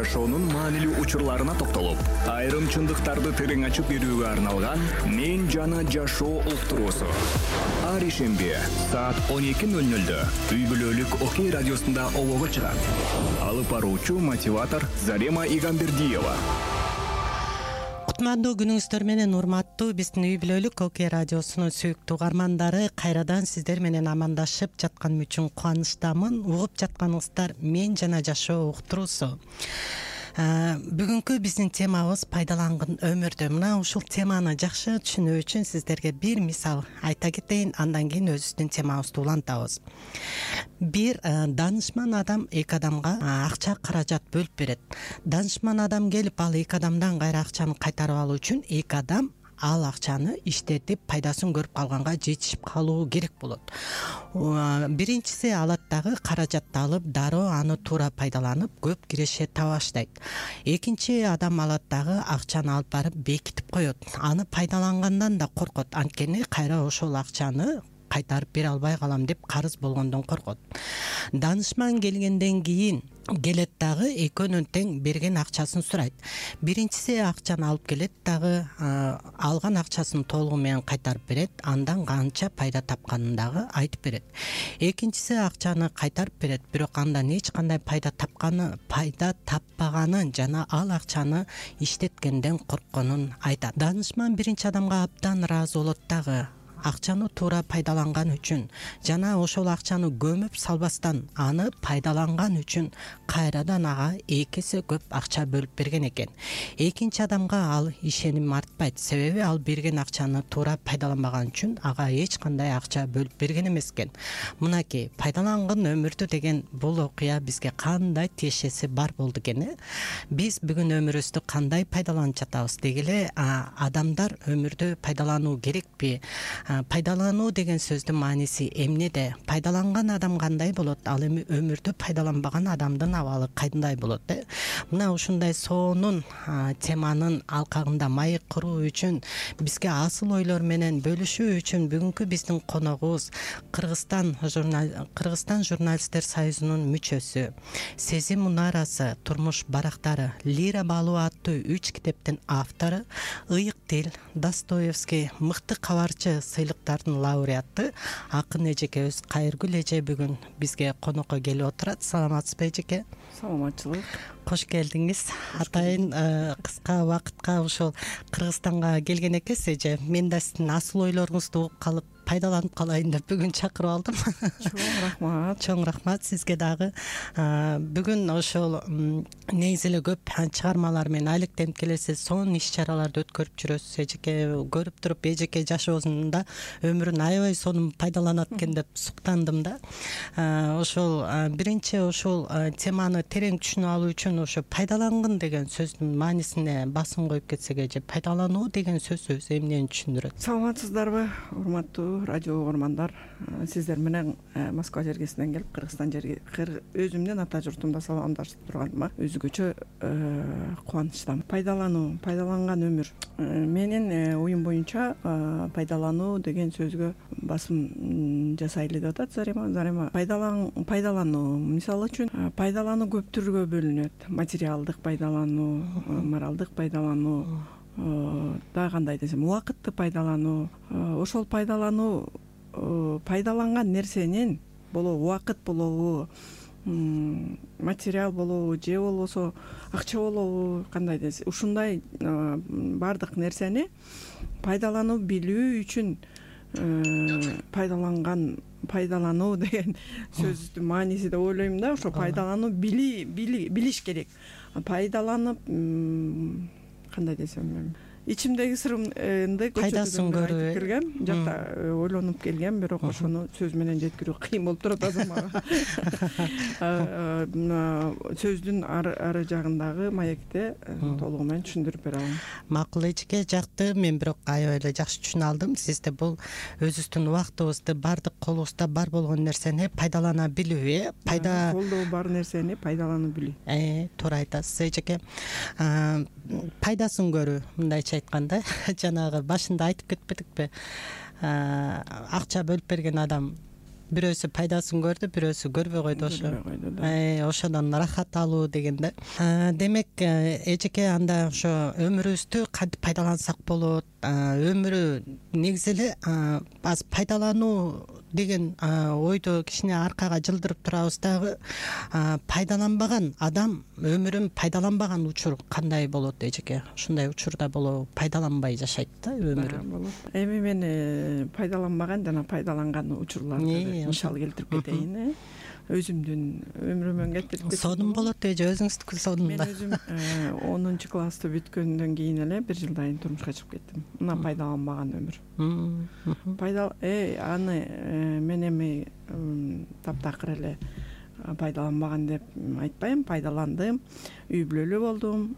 жашоонун маанилүү учурларына токтолуп, айрым чындыктарды терең ачып берүүгө арналган «Мен жана жашоо» уктуруусу. Ар ишемби саат 12:00 үй бүлөлүк Окей радиосунда олого чыгат. Алып баруучу мотиватор Зарема Игамбердиева. Кутмандуу күнүңүздөр менен урматтуу биздин үй бүлөлүк Окей радиосунун сүйүктүү угармандары, кайрадан сиздер менен амандашып жатканым үчүн кубанычтамын. Угуп жатканыңыздар «Мен жана жашоо» уктуруусу. Бүгүнкү биздин темабыз пайдаланган өмүрдө. Мына ушул теманы жакшы түшүнүү үчүн сиздерге бир мисал айта кетейин, андан кийин өзүбүздүн темабызды улантабыз. Бир данышман адам эки адамга акча каражат бөлүп берет. Данышман адам келип ал эки адамдан кайра акчаны кайтарып алуу үчүн эки адам ал акчаны иштетип пайдасын көрүп калганга жетишип калуу керек болот. Биринчиси алат дагы каражатты алып дароо аны туура пайдаланып көп киреше таба баштайт. Экинчи адам алат дагы акчаны алып барып бекитип коет. Аны пайдалангандан да коркот, анткени кайра ошол акчаны кайтарып бере албай калам деп карыз болгондон коркот. Данышман келгенден кийин келет дагы экөөнүн тең берген акчасын сурайт. Биринчиси акчаны алып келет дагы алган акчасын толугу менен кайтарып берет, андан канча пайда тапканын дагы айтып берет. Экинчиси акчаны кайтарып берет, бирок андан эч кандай пайда таппаганын жана ал акчаны иштеткенден коркконун айтат. Данышман биринчи адамга абдан ыраазы болот дагы. Акчаны туура пайдаланган үчүн жана ошол акчаны көмүп салбастан аны пайдаланган үчүн кайрадан ага эки эсе көп акча бөлүп берген экен. Экинчи адамга ал ишеним артпайт, себеби ал берген акчаны туура пайдаланбаган үчүн ага эч кандай акча бөлүп берген эмес экен. Мынакей, пайдаланган өмүрдү деген бул окуя бизге кандай тиешеси бар болду экен. Биз бүгүн өмүрүбүздү кандай пайдаланып жатабыз? Деги эле адамдар өмүрдү пайдалануу керекпи? Пайдалануу деген сөздүн мааниси эмнеде? Пайдаланган адам кандай болот? Ал эми өмүрдү пайдаланбаган адамдын абалы кандай болот? Мына ушундай сонун теманын алкагында маек куруу үчүн, бизге асыл ойлор менен бөлүшүү үчүн бүгүнкү биздин коногубуз Кыргызстан журналисттер союзунун мүчөсү, Сезим мунарасы, турмуш барактары, Лира балуу аттуу 3 китептин автору, Ыйык тил, Достоевский, мыкты кабарчы сыйлыктардын лауреаты акын эжекебиз Кайыргүл эже бүгүн бизге конокко келип отурат. Саламатсызбы эжеке? Саламатчылык. Кош келдиңиз. Атайын кыска убакытка ушул Кыргызстанга келген экенсиз эже. Мен да сиздин асыл ойлоруңузду угуп калып пайдаланып калайын деп бүгүн чакырып алдым. Чоң рахмат сизге дагы. Бүгүн ошол негизи эле көп чыгармалар менен алектенип келесиз, сонун иш-чараларды өткөрүп жүрөсүз эжеке. Көрүп туруп эжеке жашоосунда өмүрүн аябай сонун пайдаланат экен деп суктандым да. Ошол биринчи ошол теманы терең түшүнүп алуу үчүн ошо пайдаланган деген сөздүн маанисине басым коюп кетсек эже, пайдалануу деген сөз өзү эмнени түшүндүрөт? Саламатсыздарбы, урматтуу радио угармандар? Сиздер менен Москва жергесинен келип, Кыргызстан жерге өзүмдүн ата журтумда саламдашып турганыма өзгөчө кубанычтамын. Пайдаланган өмүр. Менин оюм боюнча пайдалануу деген сөзгө басым жасайлы деп атат Зарема. Пайдалануу, мисалы үчүн пайдалануу көп түргө бөлүнөт. Материалдык пайдалануу, моралдык пайдалануу, да кандай десем, убакытты пайдалануу. Ошол пайдалануу пайдаланган нерсенин болобу убакыт болобу, материал болобу же болбосо акча болобу, кандай десем, ушундай баардык нерсени пайдалануу билүү үчүн пайдалануу деген сөздүн мааниси деп ойлойм да. Ошо пайдалануу билиш керек. Пайдаланып, кандай десем, ичимдеги сырымды пайдасын көрүү келгем, жакта ойлонуп келгем, бирок ошону сөз менен жеткирүү кыйын болуп турат азыр мага. Сөздүн ары жагындагы маекти толугу менен түшүндүрүп бере алам. Макул эжеке, жакты. Мен бирок аябай эле жакшы түшүнө алдым. Сизде бул өзүбүздүн убактыбызды, баардык колубузда бар болгон нерсени пайдалана билүү, колдо бар нерсени пайдалана билүү. Туура айтасыз эжеке. Пайдасын көрүү, мындайча айтканда, жанагы башында айтып кетпедикпи? Акча бөлүп берген адам бирөөсү пайдасын көрдү, бирөөсү көрбөй койду. Ошодон ырахат алуу деген да. Демек эжеке анда ошо өмүрүбүздү кантип пайдалансак болот, өмүрү негизи эле аз пайдалануу деген ойду кичине аркага жылдырып турабыз дагы. Пайдаланбаган адам өмүрүн пайдаланбаган учур кандай болот эжеке? Ушундай учурда болобу? Пайдаланбай жашайт да өмүрүн. Эми мен пайдаланбаган жана пайдаланган учурларды мисал келтирип кетейин. Өзүмдүн өмүрүмөн кетирип сонун болот эже, өзүңүздүкү сонунда. Мен өзүм 10 классты бүткөндөн кийин эле 1 жылдан кийин турмушка чыгып кеттим. Мына пайдаланбаган өмүр. Аны мен эми таптакыр эле пайдаланбаган деп айтпайм, пайдаландым. Үй бүлөлүү болдум,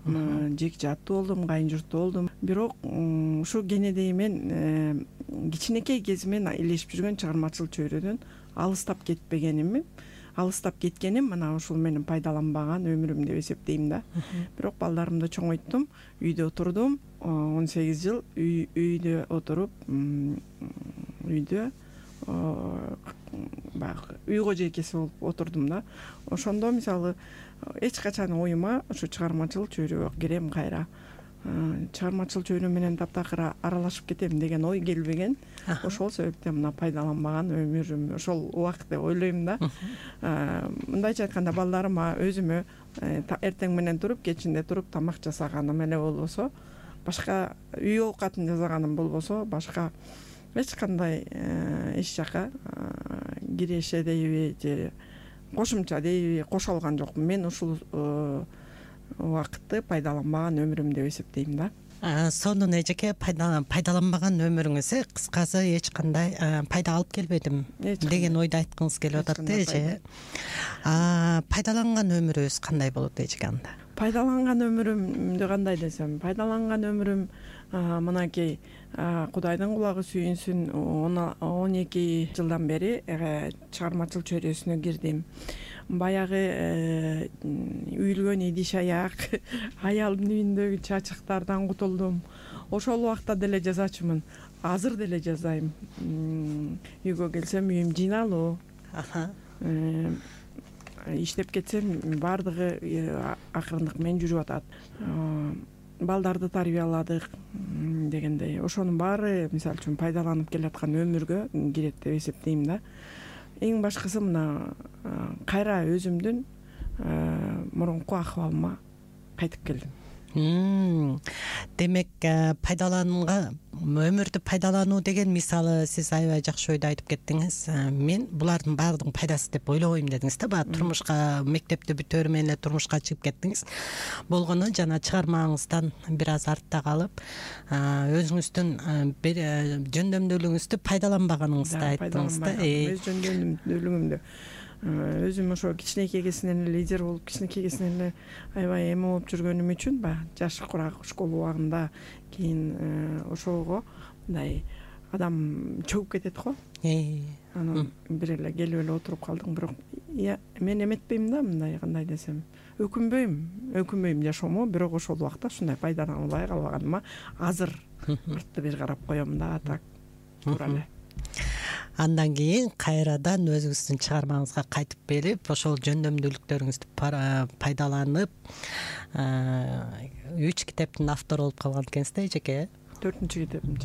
жеке жаттуу болдум, кайын журттуу болдум. Бирок ушу кенедей мен кичинекей кезимен илешип жүргөн чыгармачыл чөйрөдөн алыстап кеткеним мына ушул менин пайдаланбаган өмүрүм деп эсептейм да. Бирок балдарымды чоңойттум, үйдө отурдум, 18 жыл үйдө отуруп, үйдө баягы үй кожойкеси болуп отурдум да. Ошондо мисалы эч качан оюма ушу чыгармачыл чөйрөгө кирем кайра, чыгармачыл чөйрө менен таптакыр аралашып кетем деген ой келбеген. Ошол себептен мына пайдаланбаган өмүрүм ошол убакыт деп ойлойм да. Мындайча айтканда балдарыма өзүмө эртең менен туруп, кечинде туруп тамак жасаганым эле болбосо, башка үй оокатын жасаганым болбосо, башка эч кандай эч жака киреше дейби же кошумча дейби кошо алган жокмун. Мен ушул убакытты пайдаланбаган өмүрүм деп эсептейм да. Сонун эжеке, пайдаланбаган өмүрүңүз кыскасы эч кандай пайда алып келбедим деген ойду айткыңыз келип атат да эже. Пайдаланган өмүрүбүз кандай болот эжеке анда? Пайдаланган өмүрүмдү кандай десем, пайдаланган өмүрүм мынакей Кудайдын кулагы сүйүнсүн, 12 жылдан бери чыгармачыл чөйрөсүнө кирдим. Баягы үйүлгөн идиш аяк, аялдын үйүндөгү чачыктардан кутулдум. Ошол убакта деле жазачумун, азыр деле жазайм. Үйгө келсем үйүм жыйналуу. Иштеп кетсем баардыгы акырындык менен жүрүп атат. Балдарды тарбияладык дегендей. Ошонун баары мисалы үчүн пайдаланып келаткан өмүргө кирет деп эсептейм да. Эң башкысы мына кайра өзүмдүн мурунку акыбалыма кайтып келдим. Демек өмүрдү пайдалануу деген мисалы сиз аябай жакшы ойду айтып кеттиңиз. Мен булардын баардыгын пайдасы деп ойлобойм дедиңиз да. Баягы турмушка, мектепти бүтөөрү менен эле турмушка чыгып кеттиңиз. Болгону жана чыгармаңыздан бир аз артта калып, өзүңүздүн жөндөмдүүлүгүңүздү пайдаланбаганыңызды айттыңыз да. Өз жөндөмдүүлүгүмдү өзүм ошо кичинекей кезинен эле лидер болуп, кичинекей кезинен эле аябай эме болуп жүргөнүм үчүн баягы жаш курак школа убагында кийин ошого мындай адам чөгүп кетет го. Анан бир эле келип эле отуруп калдым. Бирок мен эметпейм да, мындай кандай десем, өкүнбөйм жашоомо, бирок ошол убакта ушундай пайдаланбай калбаганыма азыр артты бир карап коем да, так туура эле. Андан кийин кайрадан өзүңүздүн чыгармаңызга кайтып келип, ошол жөндөмдүүлүктөрүңүздү пайдаланып 3 китептин автору болуп калган экенсиз да эжеке? 4-китебим.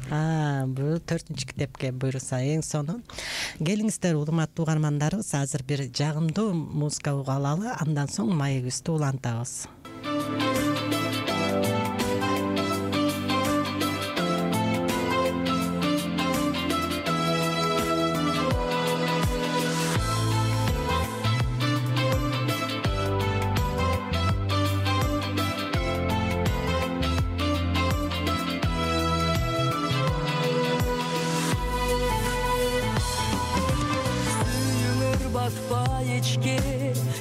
Бул 4-китепке буйруса эң сонун. Келиңиздер урматтуу угармандарыбыз, азыр бир жагымдуу музыка угуп алалы, андан соң маегибизди улантабыз.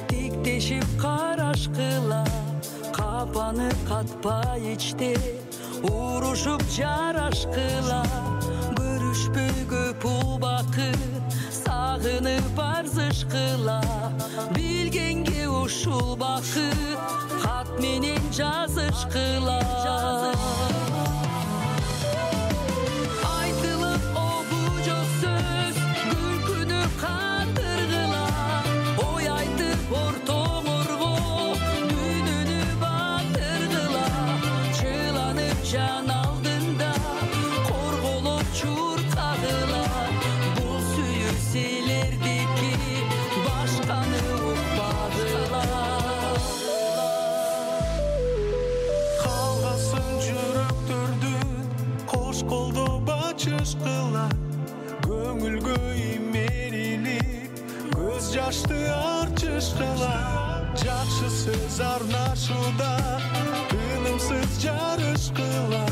Тиктешип карашкыла, капаны катпай ичте, урушуп жарашкыла, көрүшпөй көп убакыт, сагынып арзышкыла, билгенге ушул бакыт, кат менен жазышкыла. Айтылып огу жок сөз, күлкүнүп жакшы сөз арнашууда тынымсыз жарышкыла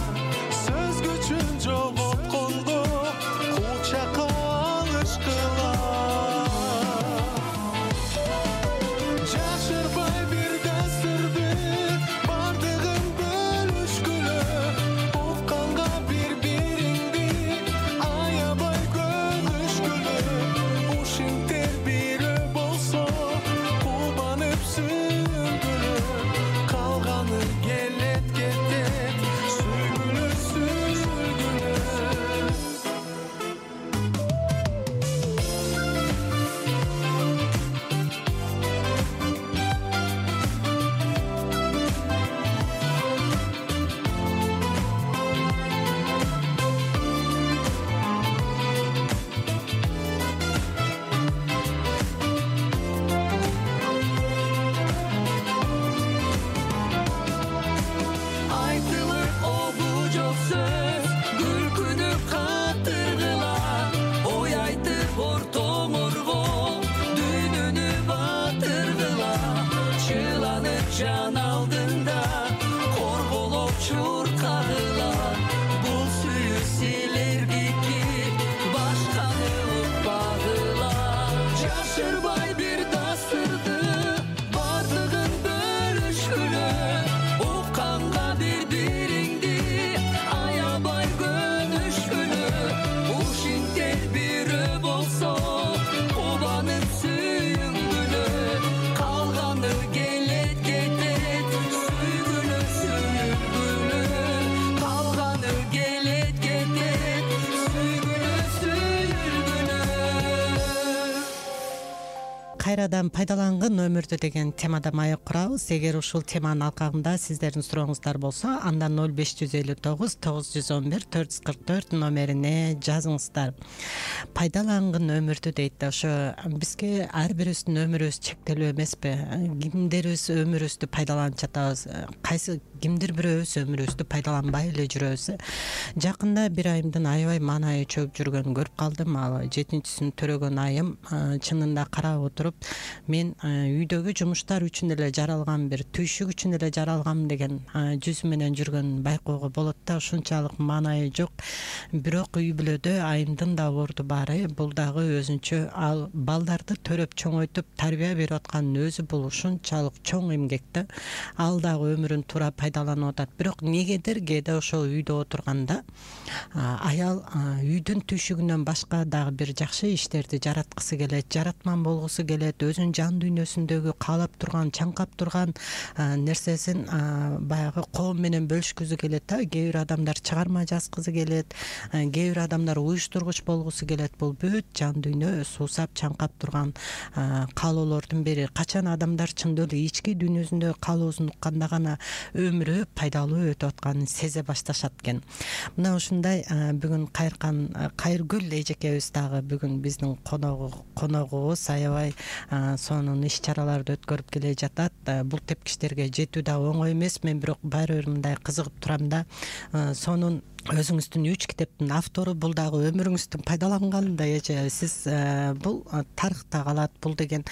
сөз күчүн жоготкондо кучакка алышкыла жашырбай бир дасырды бардыгын бөлүшкүлө укканга бири-бириңди аябай көнүшкүлө ушинтер бирөө болсо кубанып сүйүнгүлө калганы келет кетет сүйгүлө сүйүлгүлө айтылыр обу жок сөз күлкүнү катыргыла ой айтып ортоңорго дүйнөнү батыргыла чыланып жан алдында корголоп чуркагыла бул сүйүү силердики башканы укпагыла жашырбай бир дасырды бардыгын бөлүшкүлө укканга бири-бириңди аябай көнүшкүлө ушинтер бирөө болсо кубанып сүйүнгүлө калганы келет кетет сүйгүлө сүйүлгүлө калганы келет кетет сүйгүлө сүйүлгүлө кайрадан пайдалангын өмүрдү деген темада маек курабыз. Эгер ушул теманын алкагында сиздердин сурооңуздар болсо андан 0559 911 444 номерине жазыңыздар. Пайдалангын өмүрдү дейт да, ошо бизге ар бирибиздин өмүрүбүз чектелүү эмеспи? Кимдерибиз өмүрүбүздү пайдаланып жатабыз, кайсы кимдир бирөөбүз өмүрүбүздү пайдаланбай эле жүрөбүз. Жакында бир айымдын аябай маанайы чөгүп жүргөнүн көрүп калдым. Ал 7-син төрөгөн айым чынында карап отуруп мен үйдөгү жумуштар үчүн эле жаралган, бир түйшүк үчүн эле жаралгам деген жүзү менен жүргөнүн байкоого болот да. Ушунчалык маанайы жок. Бирок үй бүлөдө айымдын да орду бары, бул дагы өзүнчө ал балдарды төрөп чоңойтуп тарбия берип аткандын өзү бул ушунчалык чоң эмгек да. Ал дагы өмүрүн туура пайдаланып атат. Бирок негедир кээде ошол үйдө отурганда аял үйдүн түйшүгүнөн башка дагы бир жакшы иштерди жараткысы келет, жаратман болгусу келет, өзүнүн жан дүйнөсүндөгү каалап турган, чаңкап турган нерсесин баягы коом менен бөлүшкүзү келет да. Кээ бир адамдар чыгарма жазгысы келет, кээ бир адамдар уюштургуч болгусу келет. Бул бүт жан дүйнө суусап чаңкап турган каалоолордун бири. Качан адамдар чындоо эле ички дүйнөсүндө каалоосун укканда гана өмүрү пайдалуу өтүп атканын сезе башташат экен. Мына ушундай бүгүн Кайыргүл эжекебиз дагы бүгүн биздин коногубуз. Аябай сонун иш чараларды өткөрүп келе жатат. Бул тепкичтерге жетүү да оңой эмес. Мен бирок баары бир мындай кызыгып турам да. Сонун өзүңүздүн 3 китептин автору, бул дагы өмүрүңүздүн пайдаланганында эже сиз бул тарыхта калат, бул деген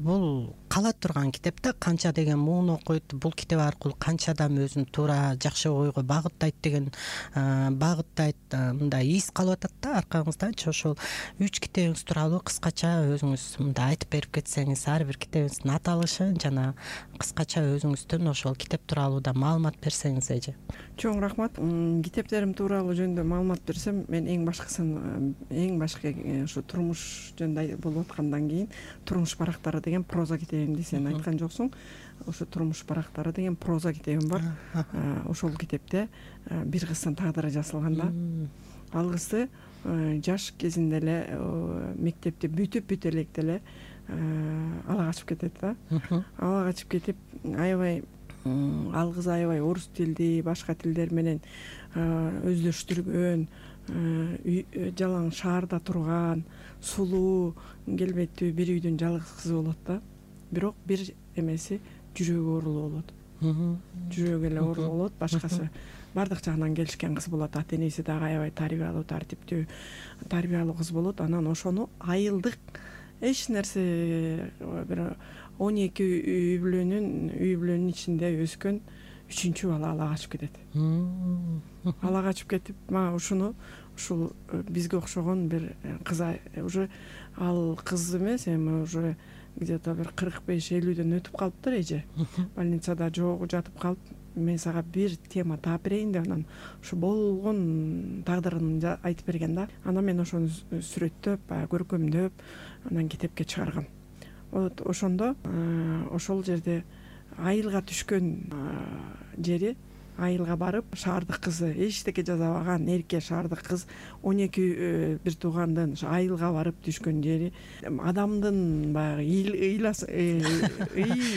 бул кала турган китеп да. Канча деген муун окуйт, бул китеп аркылуу канча адам өзүн туура жакшы ойго багыттайт деген мындай из калып атат да аркаңызданчы. Ошол 3 китебиңиз тууралуу кыскача өзүңүз мындай айтып берип кетсеңиз, ар бир китебиңиздин аталышын жана кыскача өзүңүздүн ошол китеп тууралуу да маалымат берсеңиз эже. Чоң рахмат. Китептерим тууралуу жөнүндө маалымат берсем, мен эң башкы ушу турмуш жөнүндө болуп аткандан кийин турмуш барактары деген проза китебимди сен айткан жоксуң. Ошо турмуш барактары деген проза китебим бар. Ошол китепте бир кыздын тагдыры жазылган да. Ал кызды жаш кезинде эле мектепти бүтүп электе эле ала качып кетет да. Ала качып кетип аябай ал кыз аябай орус тилди, башка тилдер менен өздөштүргөн, жалаң шаарда турган, сулуу, келбеттүү бир үйдүн жалгыз кызы болот да. Бирок бир эмеси жүрөгү оорулуу болот. Жүрөгү эле оорулуу болот, башкасы бардык жагынан келишкен кыз болот. Ата энеси дагы аябай тарбиялуу, тартиптүү, тарбиялуу кыз болот. Анан ошону айылдык эч нерсе бир 12 үй бүлөнүн ичинде өскөн 3-чү бала ала качып кетет. Ала качып кетип, мага ушул бизге окшогон бир кыз уже ал кыз эмес, эми уже где-то бир 45-50дөн өтүп калыптыр эже. Больницада жогу жатып калып, мен сага бир тема таап берейин деп анан ушу болгон тагдырын айтып берген да. Анан мен ошону сүрөттөп, көркөмдөп, анан китепке чыгаргам. Вот ошондо ошол жерде айылга түшкөн жери, айылга барып, шаардык кызы, эчтеке жасабаган эрке шаардык кыз 12 бир туугандын айылга барып түшкөн жери, адамдын баягы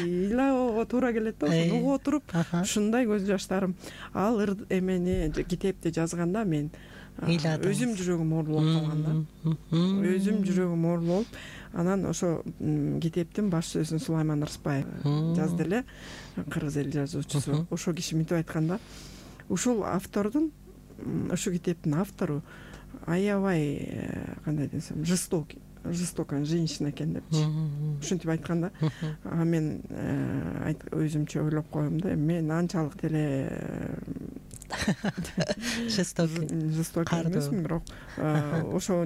ыйлоого туура келет да. Ошону угуп отуруп, ушундай көз жаштарым. Ал эмени китепти жазганда мен өзүм жүрөгүм оорулуп калган да. Өзүм жүрөгүм оорулуп, анан ошо китептин баш сөзүн Сулайман Рыспаев жазды эле, кыргыз эл жазуучусу. Ошол киши мынтип айтканда, ушул автордун, ушул китептин автору аябай кандай десем, жестокая женщина экен депчи. Ушинтип айтканда, мен өзүмчө ойлоп коем да, мен анчалык деле жестокий эмесмин, бирок ошо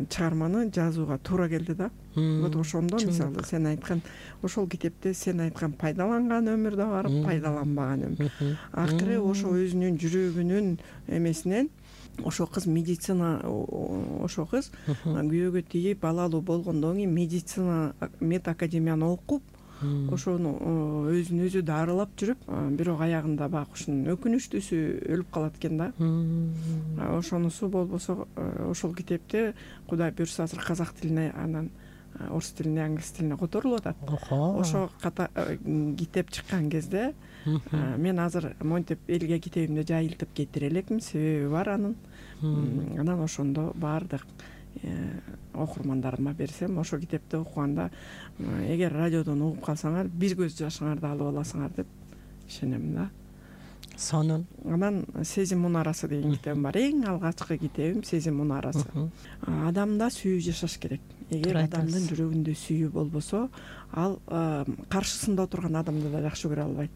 чыгарманы жазууга туура келди да. Вот ошондо мисалы сен айткан, ошол китепте сен айткан пайдаланган өмүр да бар, пайдаланбаган өмүр. Акыры ошо өзүнүн жүрөгүнүн эмесинен ошо кыз медицина, ошо кыз күйөөгө тийип балалуу болгондон кийин медицина медакадемияны окуп, ошону өзүн өзү дарылап жүрүп, бирок аягында баягы ушунун өкүнүчтүүсү өлүп калат экен да. Ошонусу болбосо ошол китепте Кудай буйрса азыр казак тилине, анан орус тилине, англис тилине которулуп атат. Ошо китеп чыккан кезде мен азыр монтип элге китебимди жайылтып кетире элекмин, себеби бар анын. Анан ошондо баардык окурмандарыма берсем, ошо китепти окуганда эгер радиодон угуп калсаңар, бир көз жашыңарды алып аласыңар деп ишенем да. Сонун. Анан Сезим мунарасы деген китебим бар. Эң алгачкы китебим Сезим мунарасы. Адамда сүйүү жашаш керек. Эгер адамдын жүрөгүндө сүйүү болбосо, ал каршысында отурган адамды да жакшы көрө албайт.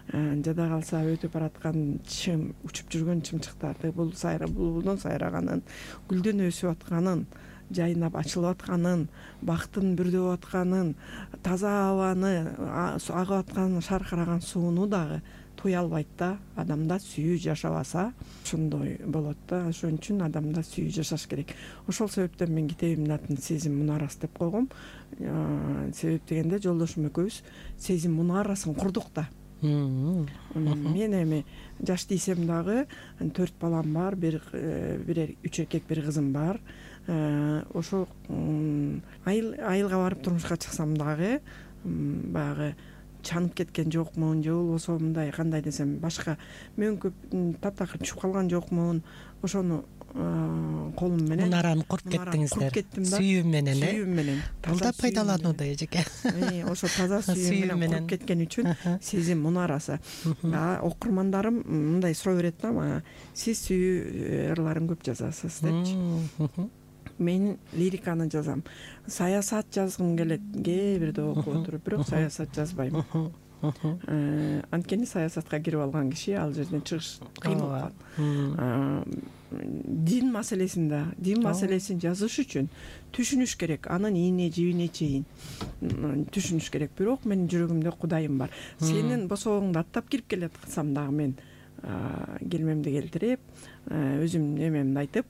Жада калса өтүп бараткан чым, учуп жүргөн чымчыктарды, булбулдун сайраганын, гүлдөн өсүп атканын, жайнап ачылып атканын, бактын бүрдөп атканын, таза абаны, агып аткан шаркыраган сууну дагы туя албайт да. Адамда сүйүү жашабаса ошондой болот да. Ошон үчүн адамда сүйүү жашаш керек. Ошол себептен мен китебимдин атын Сезим мунарасы деп койгом. Себеп дегенде жолдошум экөөбүз Сезим мунарасын курдук да. Мен эми жаш тийсем дагы 4 балам бар, 3 эркек, 1 кызым бар. Ошо айылга барып турмушка чыксам дагы баягы чанып кеткен жокмун, же болбосо мындай кандай десем, башка мөңкүп таптакыр түшүп калган жокмун. Ошону колум менен мунараны куруп кеттиңиздер. Сүйүү менен, сүйүү менен. Бул да пайдаланууда эжеке. Ошо таза сүйүү менен куруп кеткен үчүн Сезим мунарасы. Окурмандарым мындай суроо берет да мага, сиз сүйүү ырларын көп жазасыз депчи. Мен лириканы жазам. Саясат жазгым келет, кээ бирде окуп отуруп, бирок саясат жазбайм. Анткени саясатка кирип алган киши ал жерден чыгыш кыйын болуп калат. Дин маселесин жазыш үчүн түшүнүш керек, анын ийне жибине чейин түшүнүш керек. Бирок менин жүрөгүмдө Кудайым бар. Сенин босогоңду аттап кирип келаткансам дагы мен келмемди келтирип, өзүм эмемди айтып,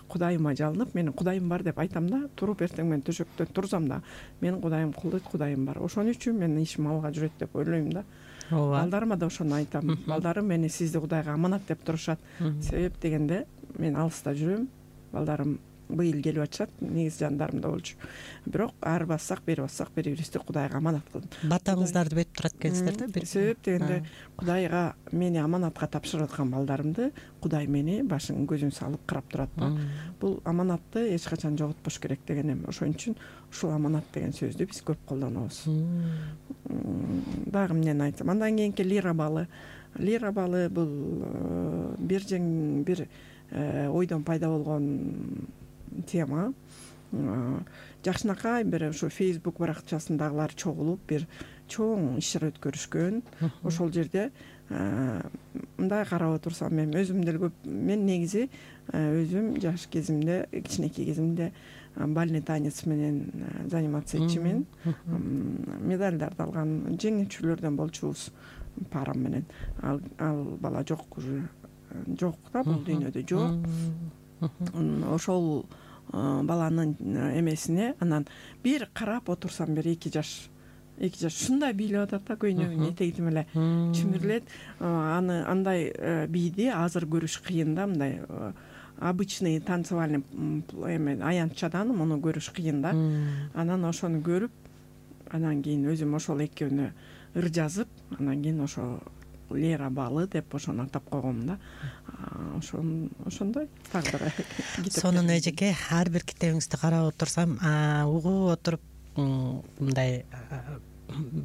Кудайыма жалынып, менин Кудайым бар деп айтам да. Туруп эртең менен төшөктөн турсам да, менин Кудайым кулдойт, Кудайым бар. Ошон үчүн менин ишим алга жүрөт деп ойлойм да. Балдарыма да ошону айтам. Балдарым мени сизди Кудайга аманат деп турушат. Себеп дегенде мен алыста жүрөм. Балдарым быйыл келип атышат, негизи жандарымда болчу. Бирок арбассак, бири-бирибизди Кудайга аманат кылдым. Батаңыздарды бетип турат экенсиздер да. Себеп дегенде Кудайга мени аманатка тапшырып аткан балдарымды Кудай мени башын көзүн салып карап турат да. Бул аманатты эч качан жоготпош керек дегенем. Ошон үчүн ушул аманат деген сөздү биз көп колдонобуз. Дагы эмнени айтсам, андан кийинки лира балы. Лира балы бул бир ойдон пайда болгон тема. жакшынакай бир ушу Facebook баракчасындагылар чогулуп бир чоң иш чара өткөрүшкөн. Ошол жерде мындай карап отурсам мен өзүм деле көп, мен негизи өзүм жаш кезимде, кичинекей кезимде бальный танец менен заниматься этчимин. Медалдарды алган жеңүүчүлөрдөн болчубуз парам менен. Ал бала жок, уже жок да, бул дүйнөдө жок. Ошол баланын эмесине анан бир карап отурсам, бир 2 жаш ушундай бийлеп атат да, көйнөгүн этегитим эле чимирлет. Аны андай бийди азыр көрүш кыйын да, мындай обычный танцевальный аянтчадан муну көрүш кыйын да. Анан ошону көрүп, анан кийин өзүм ошол экөөнү ыр жазып, анан кийин ошо Лера балы деп ошону атап койгом да. Ошондой тагдыры. Сонун эжеке, ар бир китебиңизди карап отурсам, угуп отуруп мындай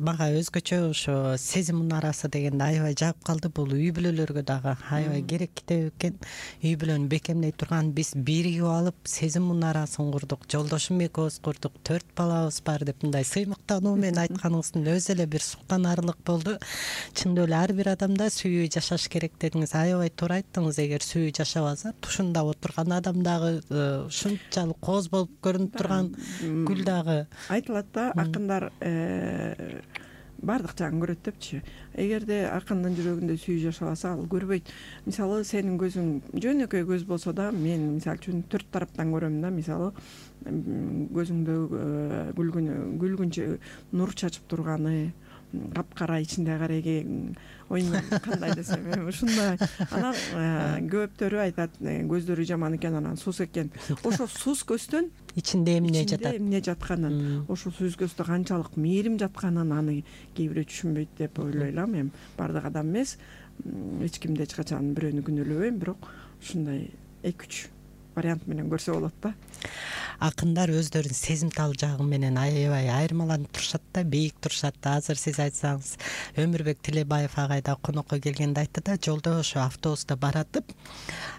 мага өзгөчө ошо сезим мунарасы дегенди аябай жагып калды. Бул үй бүлөлөргө дагы аябай керек китеп экен. Үй бүлөнү бекемдей турган, биз биригип алып сезим мунарасын курдук. Жолдошум экөөбүз курдук, 4 балабыз бар деп мындай сыймыктануу менен айтканыңыздын өзү эле бир суктанарлык болду. Чындап эле ар бир адамда сүйүү жашаш керек дедиңиз. Аябай туура айттыңыз. Эгер сүйүү жашабаса, тушунда отурган адам дагы ушунчалык кооз болуп көрүнүп турган гүл дагы. Айтылат да, акындар бардык жагын көрөт депчи. Эгерде акындын жүрөгүндө сүйүү жашабаса, ал көрбөйт. Мисалы, сенин көзүң жөнөкөй көз болсо да, мен мисалы үчүн 4 тараптан көрөм да. Мисалы, көзүңдө күлгүнчө нур чачып турганы, капкара ичинде кареги оюн кандай десем, ушундай. Анан көптөрү айтат, көздөрү жаман экен, анан сус экен. Ошо сус көздөн ичинде эмне жатат? Эмне жатканын, ошо сус көздө канчалык мээрим жатканын аны кээ бирөө түшүнбөйт деп ойлойм. Эми бардык адам эмес, эч кимди эч качан бирөөнү күнөөлөбөйм, бирок ушундай 2-3 вариант менен көрсө болот да. Акындар өздөрүнүн сезимтал жагы менен аябай айырмаланып турушат да, бийик турушат да. Азыр сиз айтсаңыз, Өмүрбек Тилебаев агай да конокко келгенде айтты да, жолдо ошо автобуста баратып,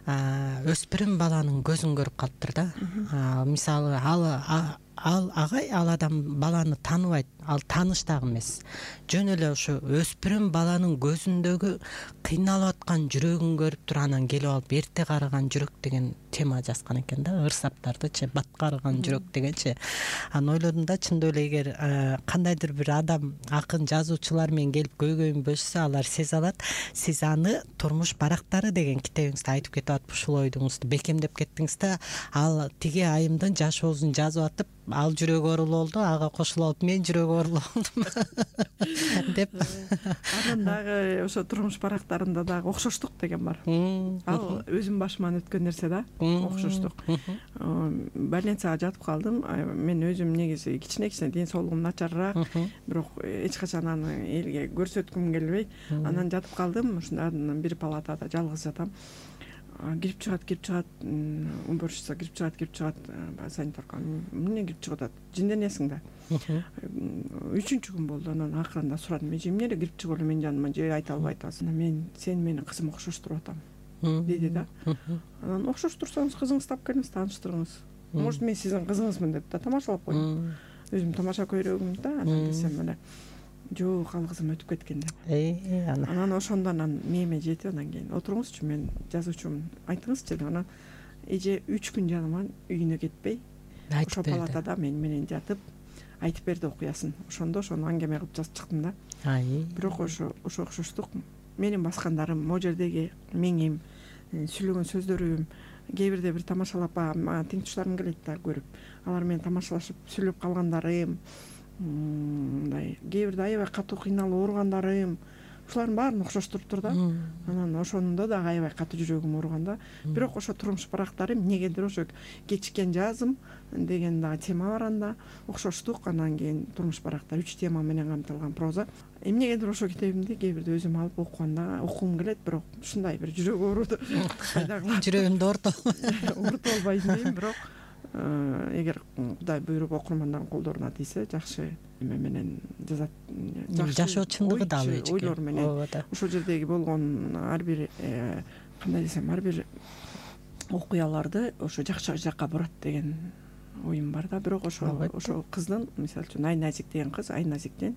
өспүрүм баланын көзүн көрүп калыптыр да. Мисалы, ал агай, ал адам баланы тааныбайт, ал тааныш дагы эмес. Жөн эле ошо өспүрүм баланын көзүндөгү кыйналып аткан жүрөгүн көрүп туруп, анан келип алып эрте карыган жүрөк деген тема жазган экен да, ырсаптардычы, бат карыган жүрөк дегенчи. Анан ойлодум да, чындап эле эгер кандайдыр бир адам акын жазуучулар менен келип көйгөйүн бөлүшсө, алар сезе алат. Сиз аны Турмуш барактары деген китебиңизде айтып кетип атып, ушул оюңузду бекемдеп кеттиңиз да. Ал тиги айымдын жашоосун жазып атып, ал жүрөгү оорулуу болду, ага кошулуп алып мен жүрөгү оорулуу болдум деп. Анан дагы ошо Турмуш барактарында дагы окшоштук деген бар. Ал өзүм башыман өткөн нерсе да, окшоштук. Больницага жатып калдым. Мен өзүм негизи кичине ден соолугум начарыраак, бирок эч качан аны элге көрсөткүм келбейт. Анан жатып калдым, ушундан бир палатада жалгыз жатам. Кирип чыгат, уборщица кирип чыгат, санитарка эмне кирип чыгып атат, жинденесиң да. 3-чү күн болду. Анан акырында сурадым, эже эмне эле кирип чыгып эле менин жаныма, же айта албай атасың? Сен менин кызым окшоштуруп атам деди да. Анан окшоштурсаңыз кызыңызды тап келиңиз, тааныштырыңыз. Может, мен сиздин кызыңызмын деп да тамашалап койдум. Өзүм тамаша көйрөгүм да, анан десем эле жок, ал кызым өтүп кеткен деп. Анан ошондон мээме жетип, анан кийин отуруңузчу, мен жазуучумун, айтыңызчы деп. Анан эже 3 күн жаныма үйүнө кетпей, ошо палатада мен менен жатып айтып берди окуясын. Ошондо ошону аңгеме кылып жазып чыктым да. Бирок ошо окшоштук. Менин баскандарым, могу жердеги меңим, сүйлөгөн сөздөрүм, кээ бирде бир тамашалап, мага тең туштарым келет да көрүп. Алар менен тамашалашып сүйлөп калгандарым, мындай кээ бирде аябай катуу кыйналып ооругандарым, ушулардын баарын окшоштуруптур да. Анан ошондо дагы аябай катуу жүрөгүм ооруган да. Бирок ошо Турмуш барактары эмнегедир ошо кечиккен жазым деген дагы тема бар анда, окшоштук. Анан кийин Турмуш барактар 3 тема менен камтылган проза. Эмнегедир ошо китебимди кээ бирде өзүм алып окуганда окугум келет, бирок ушундай бир жүрөк ооруду жүрөгүмдү оорутуп албайм дейм. Бирок эгер Кудай буйруп окурмандардын колдоруна тийсе, жакшы эме менен жазат, жашоо чындыгы дагы ойлор менен ошол жердеги болгон ар бир кандай десем, ар бир окуяларды ошо жакшы жакка бурат деген оюм бар да. Бирок ошол кыздын, мисалы үчүн Айназик деген кыз, Айназиктин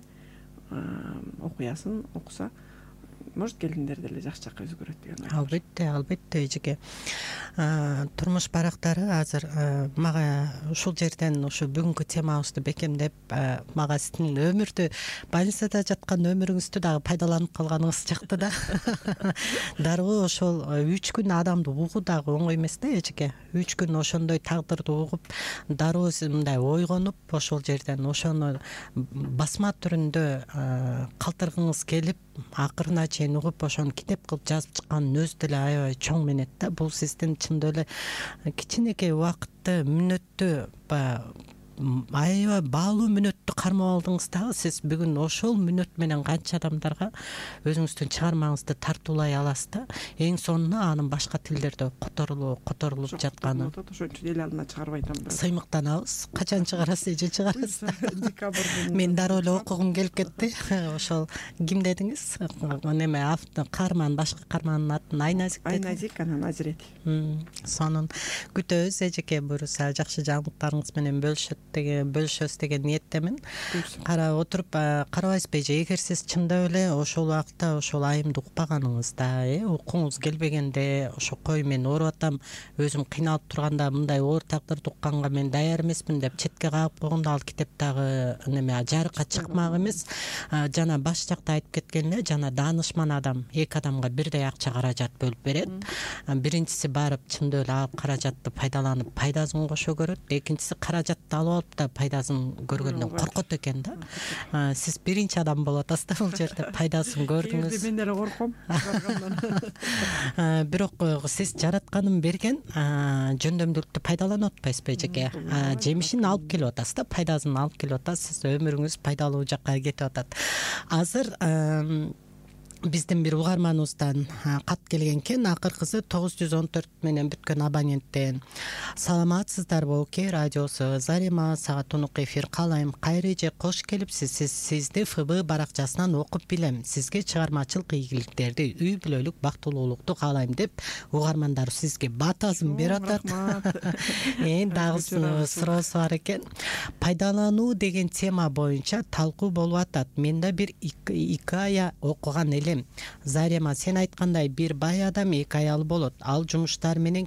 окуясын окуса, может келиндер деле жакшы жакка өзгөрөт деген ой. Албетте эжеке. Турмуш барактары азыр мага ушул жерден ушу бүгүнкү темабызды бекемдеп, мага сиздин өмүрдү, больницада жаткан өмүрүңүздү дагы пайдаланып калганыңыз жакты да. Дароо ошол 3 күн адамды угуу дагы оңой эмес да эжеке. 3 күн ошондой тагдырды угуп, дароо мындай ойгонуп, ошол жерден ошону басма түрүндө калтыргыңыз келип, акырына чейин угуп, ошону китеп кылып жазып чыкканын өзү деле аябай чоң менет да. Бул сиздин чындап эле кичинекей убакытты, мүнөттү, аябай баалуу мүнөттү кармап алдыңыз дагы. Сиз бүгүн ошол мүнөт менен канча адамдарга өзүңүздүн чыгармаңызды тартуулай аласыз да. Эң сонуна анын башка тилдерде которулуп жатканы. Ошон үчүн эл алдына чыгарбай атам. Сыймыктанабыз. Качан чыгарасыз, эже чыгарасыз? Декабрда. Мен дароо эле окугум келип кетти. Ошол ким дедиңиз? Неме каарман, башкы каармандын атын Айназик деди. Айназик, анан Азирет. Сонун күтөбүз эжеке. Буюрса жакшы жаңылыктарыңыз менен бөлүшөбүз деген ниеттемин. Карап отуруп карабайсызбы эже? Эгер сиз чындап эле ошол убакта ошол айымды укпаганыңызда, укуңуз келбегенде, ошо кой мен ооруп атам, өзүм кыйналып турганда мындай оор тагдырды укканга мен даяр эмесмин деп четке кагып койгондо, ал китеп дагы неме жарыкка чыкмак эмес. Жана баш жакта айтып кеткен эле, жана даанышман адам 2 адамга бирдей акча каражат бөлүп берет. Биринчиси барып чындап эле ал каражатты пайдаланып пайдасын кошо көрөт. Экинчиси каражатты алып алып да пайдасын көргөндөн коркот экен да. Сиз биринчи адам болуп атасыз да бул жерде. Пайдасын көрдүңүз. Мен деле корком. Бирок сиз жаратканын берген жөндөмдүүлүктү пайдаланып атпайсызбы эжеке? Жемишин алып келип атасыз да, пайдасын алып келип атасыз. Өмүрүңүз пайдалуу жакка кетип атат. Азыр биздин бир угарманыбыздан кат келген экен. Акыркысы 914 менен бүткөн абоненттен: саламатсыздарбы Оке радиосу, Зарема сага тунук эфир каалайм. Кайры эже, кош келипсиз. Сизди ФБ баракчасынан окуп билем. Сизге чыгармачылык ийгиликтерди, үй бүлөлүк бактылуулукту каалайм деп угармандар сизге батасын берип атат. Дагы суроосу бар экен. Пайдалануу деген тема боюнча талкуу болуп атат. Мен да бир 2 ая окуган элем. Зарема, сен айткандай бир бай адам 2 аялы болот. Ал жумуштары менен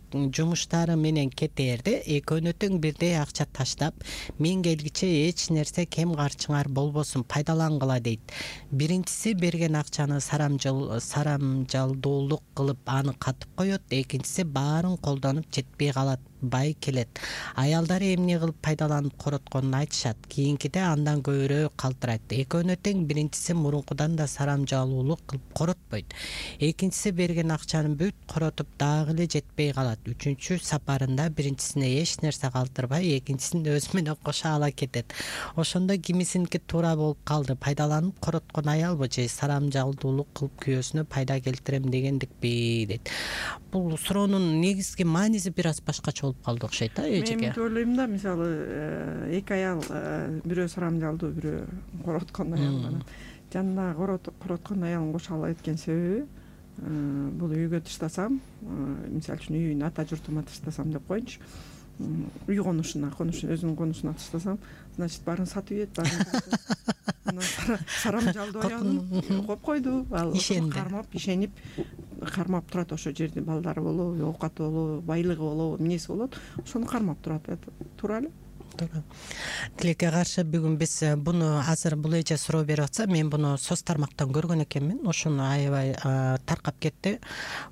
кетээрде экөөнө тең бирдей акча таштап, мен келгиче эч нерсе кем карчыңар болбосун, пайдалангыла дейт. Биринчиси берген акчаны сарамжалдуулук кылып аны катып коет. Экинчиси баарын колдонуп жетпей калат. Бай келет. Аялдары эмне кылып пайдаланып коротконун айтышат. Кийинкиде андан көбүрөөк калтырайт. Экөөнө тең биринчиси мурункудан да сарамжалуулук кылып коротпойт. Экинчиси берген акчаны бүт коротуп дагы эле жетпей калат. Үчүнчү сапарында биринчисине эч нерсе калтырбай, экинчисин өзү менен кошо ала кетет. Ошондо кимисиники туура болуп калды. Пайдаланып короткон аялбы же сарамжалдуулук кылып күйөөсүнө пайда келтирем дегендикпи дейт. Бул суроонун негизги мааниси бир аз башкача болуп калды окшойт да эжеке. Мен ойлойм да, мисалы 2 аял, бирөө сарамжалдуу, бирөө короткон аял. Жанына короткон аялын кошо ала кеткен себеби, бул үйгө таштасам, мисалы үчүн үйүн ата журтума таштасам деп коеюнчу, үй конушуна, өзүнүн конушуна таштасам, значит баарын сатып ийет, сарамжалдуу аялын коюп койду. Ал ишенип кармап турат ошо жерде. Балдары болобу, оокаты болобу, байлыгы болобу, эмнеси болот, ошону кармап турат. Туура эле. Тилекке каршы бүгүн биз буну азыр бул эже суроо берип атса, мен буну соц тармактан көргөн экенмин. Ошону аябай таркап кетти.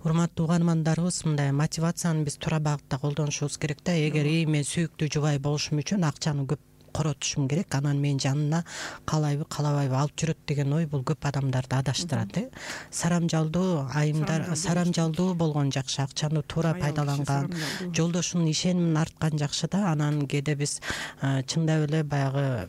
Урматтуу угармандарыбыз, мындай мотивацияны биз туура багытта колдонушубуз керек да. Эгер мен сүйүктүү жубай болушум үчүн акчаны көп коротушум керек, анан мен жанына каалайбы каалабайбы алып жүрөт деген ой бул көп адамдарды адаштырат. Сарамжалдуу айымдар, сарамжалдуу болгон жакшы, акчаны туура пайдаланган, жолдошунун ишенимин арткан жакшы да. Анан кээде биз чындап эле баягы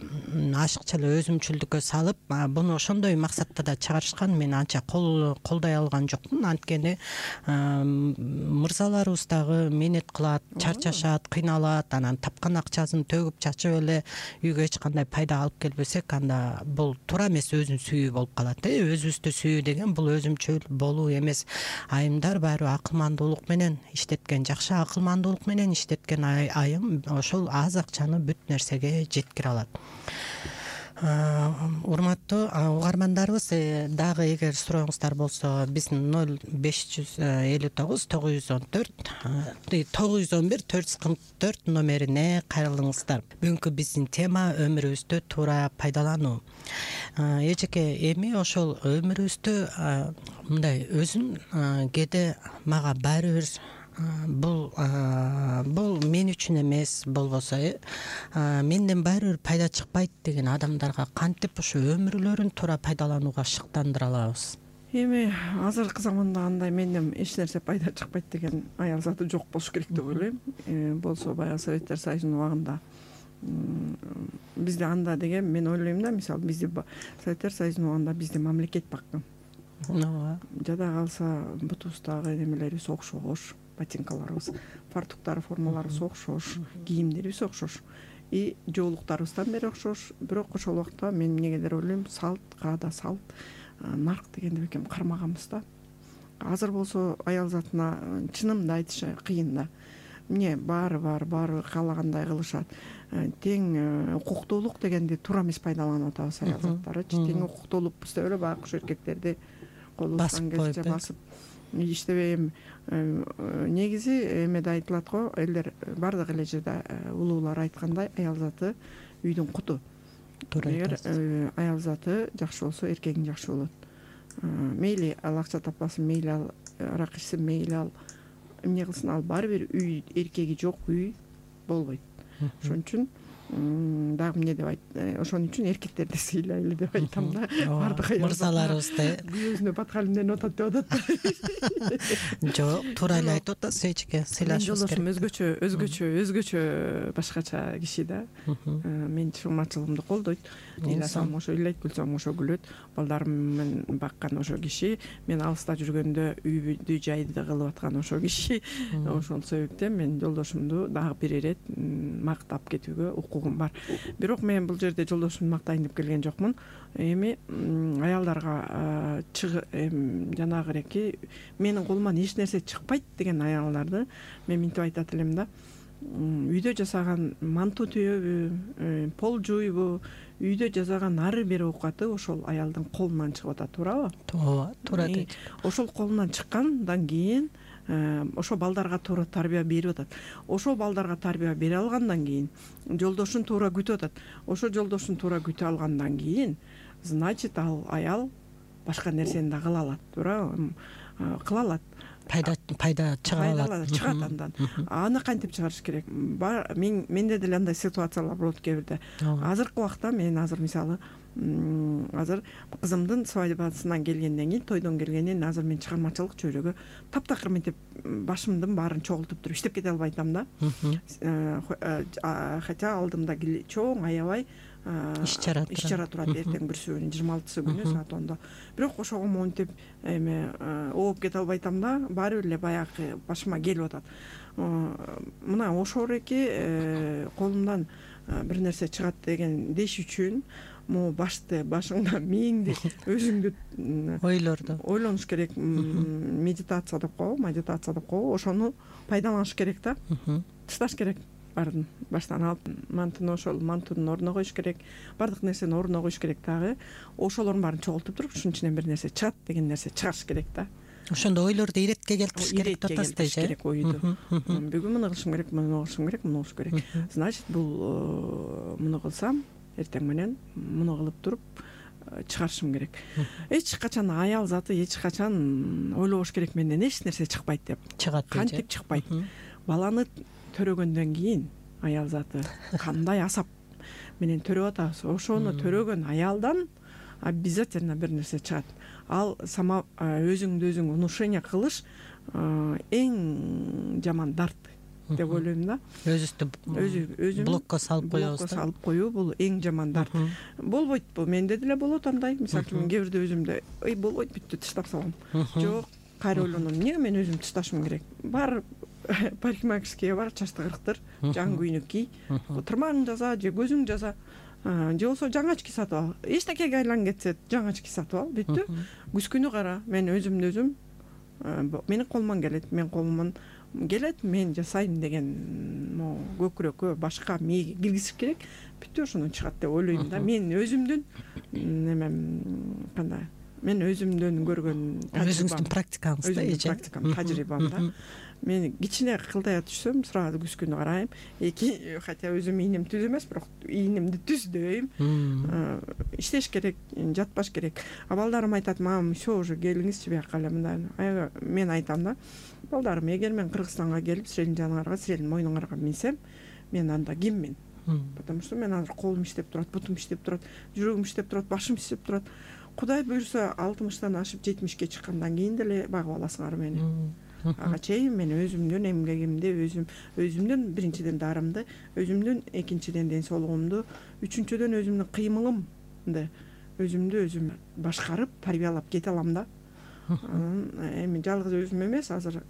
ашыкча эле өзүмчүлдүккө салып, буну ошондой максатта да чыгарышкан. Мен анча колдой алган жокмун. Анткени мырзаларыбыз дагы менет кылат, чарчашат, кыйналат, анан тапкан акчасын төгүп чачып эле үйгө эч кандай пайда алып келбесек, анда бул туура эмес өзүнүн сүйүү болуп калат. Өзүбүздү сүйүү деген бул өзүмчөл болуу эмес. Айымдар баары акылмандуулук менен иштеткен, жакшы акылмандуулук менен иштеткен айым ошол аз акчаны бүт нерсеге жеткире алат. Урматтуу угармандарыбыз, дагы эгер сурооңуздар болсо биздин 054914 номерине кайрылыңыздар. Бүгүнкү биздин тема өмүрүбүздү туура пайдалануу. Эжеке, эми ошол өмүрүбүздү мындай өзүн кээде мага баары бир бул мен үчүн эмес, болбосо менден баары бир пайда чыкпайт деген адамдарга кантип ушу өмүрлөрүн туура пайдаланууга шыктандыра алабыз? Эми азыркы заманда андай менден эч нерсе пайда чыкпайт деген аял заты жок болуш керек деп ойлойм. Болсо баягы Советтер Союзунун убагында бизде анда деген мен ойлойм да, мисалы бизде Советтер Союзунун убагында бизде мамлекет баккан. Жада калса бутубуздагы немелерибиз окшош, ботинкаларыбыз, фартуктар, формаларыбыз окшош, кийимдерибиз окшош, жоолуктарыбыздан бери окшош. Бирок ошол убакта мен эмнегедир ойлойм, салт, каада салт, нарк дегенди бекем кармаганбыз да. Азыр болсо аял затына чынымды айтыш кыйын да. Эмне баары каалагандай кылышат. Тең укуктуулук дегенди туура эмес пайдаланып атабыз аял заттарычы. Тең укуктуулук деп эле байкуш эркектерди колубуздан келсе басып иштебейм. Негизи эмеде айтылат го, элдер бардык эле жерде улуулар айткандай, аял заты үйдүн куту. Эгер аял заты жакшы болсо, эркегиң жакшы болот. Мейли ал акча таппасын, мейли ал арак ичсин, мейли ал эмне кылсын, ал баары бир үй, эркеги жок үй болбойт. Ошон үчүн дагы эмне деп ошон үчүн эркектерди сыйлайлы деп айтам да. Бардык мырзаларыбызды өзүнө баткалымден атат деп атат. Жок, туура эле айтып атасыз эжеке, сыйлашыбыз керек. Өзгөчө башкача киши да. Мен чыгымачылыгымды колдойт. Ыйласам ошо ыйлайт, күлсөм ошо күлөт. Балдарым менен баккан ошо киши, мен алыста жүргөндө үйдү жайды кылып аткан ошо киши. Ошол себептен мен жолдошумду дагы бир ирет мактап кетүүгө укугум бар. Бирок мен бул жерде жолдошумду мактайын деп келген жокмун. Эми аялдарга жанагы эки менин колуман эч нерсе чыкпайт деген аялдарды мен минтип айтат элем да. Үйдө жасаган манту түйөбү, пол жууйбу, үйдө жасаган ары бир оокаты ошол аялдын колунан чыгып атат, туурабы? Туура дейт. Ошол колунан чыккандан кийин ошо балдарга туура тарбия берип атат. Ошол балдарга тарбия бере алгандан кийин жолдошун туура күтүп атат. Ошо жолдошун туура күтүп алгандан кийин, значит, ал аял башка нерсени да кыла алат, туурабы? Кыла алат. Пайда чыга алат. Чыгат андан. Аны кантип чыгарыш керек? Менде деле андай ситуациялар болот кээ бирде. Азыркы убакта мен мисалы азыр кызымдын свадьбасынан келгенден кийин, тойдон келгенден азыр мен чыгармачылык чөйрөгө таптакыр мынтип башымдын баарын чогултуп туруп иштеп кете албай атам да. Хотя алдымда чоң аябай иш чара турат. Эртең бүрсүбүнүн 26-сы күнү саат 10-да. Бирок ошого монтип ооп кете албай атам да. Баары бир эле баягы башыма келип атат. Мына ошол эки колумдан бир нерсе чыгат деген деш үчүн башыңда мээңди өзүңдү ойлонуш керек. Медитация деп коебу, ошону пайдаланыш керек да. Тышташ керек баарын баштан алып, мантунун ордуна коюш керек, бардык нерсени ордуна коюш керек дагы. Ошолордун баарын чогултуп туруп, ушунун ичинен бир нерсе чыгат деген нерсе чыгарыш керек да. Ошондо ойлорду иретке келтириш керек деп атасыз керек ойду. Бүгүн муну кылышым керек, муну кылышым керек, муну кылыш керек. Значит, бул муну кылсам, эртең менен муну кылып туруп чыгарышым керек. Эч качан аял заты эч качан ойлобош керек, менден эч нерсе чыкпайт деп. Чыгат. Кантип чыкпайт? Баланы төрөгөндөн кийин аял заты кандай асап менен төрөп атабыз, ошону төрөгөн аялдан обязательно бир нерсе чыгат. Ал сама өзүңдү өзүң внушение кылыш эң жаман дарт деп ойлойм да. Өзү блокко салып коюу бул эң жаман дарт. Болбойт бул, менде деле болот андай. Мисалы үчүн кээ бирде өзүмдө болбойт, бүттү, таштап салам. Жок, кайра ойлоном, эмнеге мен өзүм ташташым керек? Бар парикмахерскийге бар, чачты кырыктыр, жаңы көйнөк кий, тырмагың жаза же көзүң жаза, же болбосо жаңы очки сатып ал, эчтекеге айланып кетсе жаңы очки сатып ал, бүттү. Күзгүнү кара, мен өзүмдү өзүм менин колуман келет, мен колуман келет, мен жасайм деген могу көкүрөккө, башка мээге киргизиш керек, бүттү, ошондон чыгат деп ойлойм да. Мен өзүмдүн немем кандай, мен өзүмдөн көргөн өзүңүздүн практикаңыз да, өзүмдүн практикам, тажрыйбам да. Мен кичине кылдая түшсөм сразу күзгүнү карайм, хотя өзүм ийнем түз эмес, бирок ийнемди түз дейм. Иштеш керек, жатпаш керек. Балдарым айтат, мам, все уже келиңизчи бияка эле мындай. Мен айтам да, балдарым, эгер мен Кыргызстанга келип силердин жаныңарга, силердин мойнуңарга минсем, мен анда киммин? Потому что мен азыр колум иштеп турат, бутум иштеп турат, жүрөгүм иштеп турат, башым иштеп турат. Кудай буюрса 60 ашып 70 чыккандан кийин деле багып аласыңар мени. Ага чейин мен өзүмдүн эмгегимди, өзүмдүн биринчиден дарымды, өзүмдүн экинчиден ден соолугумду, үчүнчүдөн өзүмдүн кыймылымды өзүмдү өзүм башкарып, тарбиялап кете алам да. Эми жалгыз өзүм эмес, азыр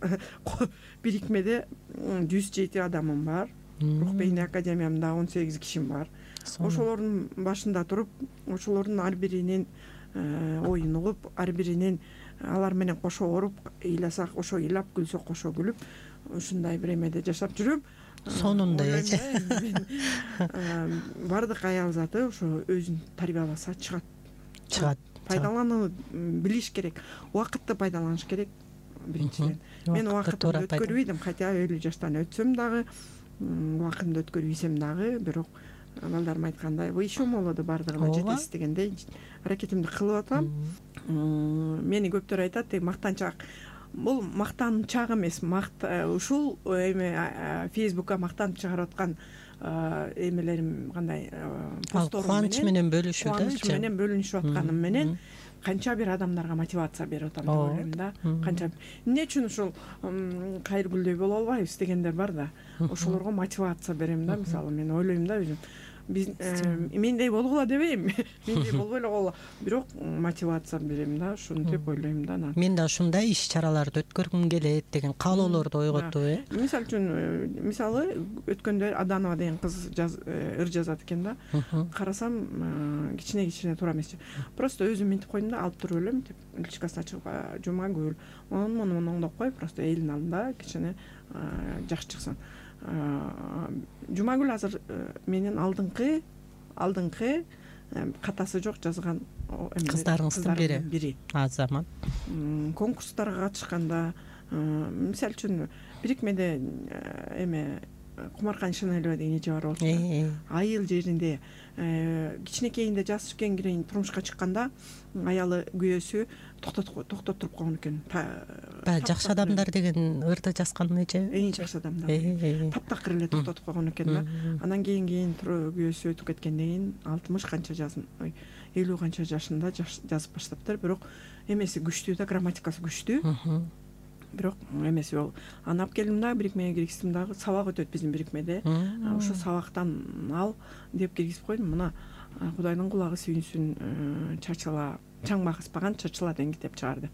бирикмеде 107 адамым бар. Рух бейне академиямда 18 кишим бар. Ошолордун башында туруп, ошолордун ар биринин оюн угуп, ар биринин алар менен кошо оруп, ыйласак ошо ыйлап, күлсөк кошо күлүп, ушундай бир эмеде жашап жүрөм. Сонунда эже. Бардык аял заты ошо өзүн тарбияласа чыгат. Пайдаланууну билиш керек, убакытты пайдаланыш керек биринчиден. Мен убакытымды өткөрбөйдүм, хотя 50 жаштан өтсөм дагы, убакытымды өткөрбөйсөм дагы, бирок балдарым айткандай, вы еще молоды, бардыгына жетесиз дегендей аракетимди кылып атам. Мени көптөр айтат, мактанчак. Бул мактанчак эмес, ушул эме Facebookка мактанып чыгарып аткан эмелерим кандай посторум менен, кубанч менен бөлүшүү да, кубанч менен бөлүнүшүп атканым менен канча бир адамдарга мотивация берип атам деп ойлойм да. Канча эмне үчүн ушул Кайыргүлдөй боло албайбыз дегендер бар да. Ошолорго мотивация берем да. Мисалы мен ойлойм да, өзүм мендей болгула дебейм, мендей болбой эле койгула, бирок мотивация берем да, ушинтип ойлойм да. Мен да ушундай иш чараларды өткөргүм келет деген каалоолорду ойготуп, Мисалы үчүн, мисалы өткөндө Аданова деген кыз ыр жазат экен да. Карасам кичине туура эмес. Просто өзүм мынтип койдум да, алып туруп элем деп, личкасын ачып, Жумагүл, муну оңдоп кой, просто элдин алдында кичине жакшы чыксын. Жумагүл азыр менин алдыңкы катасы жок жазган кыздарыңыздын бири. Азамат. Конкурстарга катышканда, мисалы үчүн бирикмеде эме Кумаркан Шанелова деген эже бар болчу. Айыл жеринде кичинекейинде жаш түшкөн кийин турмушка чыкканда аялы күйөөсү токтотуруп койгон экен. Жакшы адамдар деген ырды жазган эже. Жакшы адамдар. Таптакыр эле токтотуп койгон экен да. Анан кийин күйөөсү өтүп кеткенден кийин 60 канча 50 канча жашында жазып баштаптыр. Бирок эмеси күчтүү да, грамматикасы күчтүү. Бирок эмеси ол. Анап келдим да, бирикмеге киргиздим дагы, сабак өтөт биздин бирикмеде. Ошо сабактан ал деп киргизип койдум. Мына Кудайдын кулагы сүйүнсүн, чачыла, чаң багыспаган чачыла деген китеп чыгарды.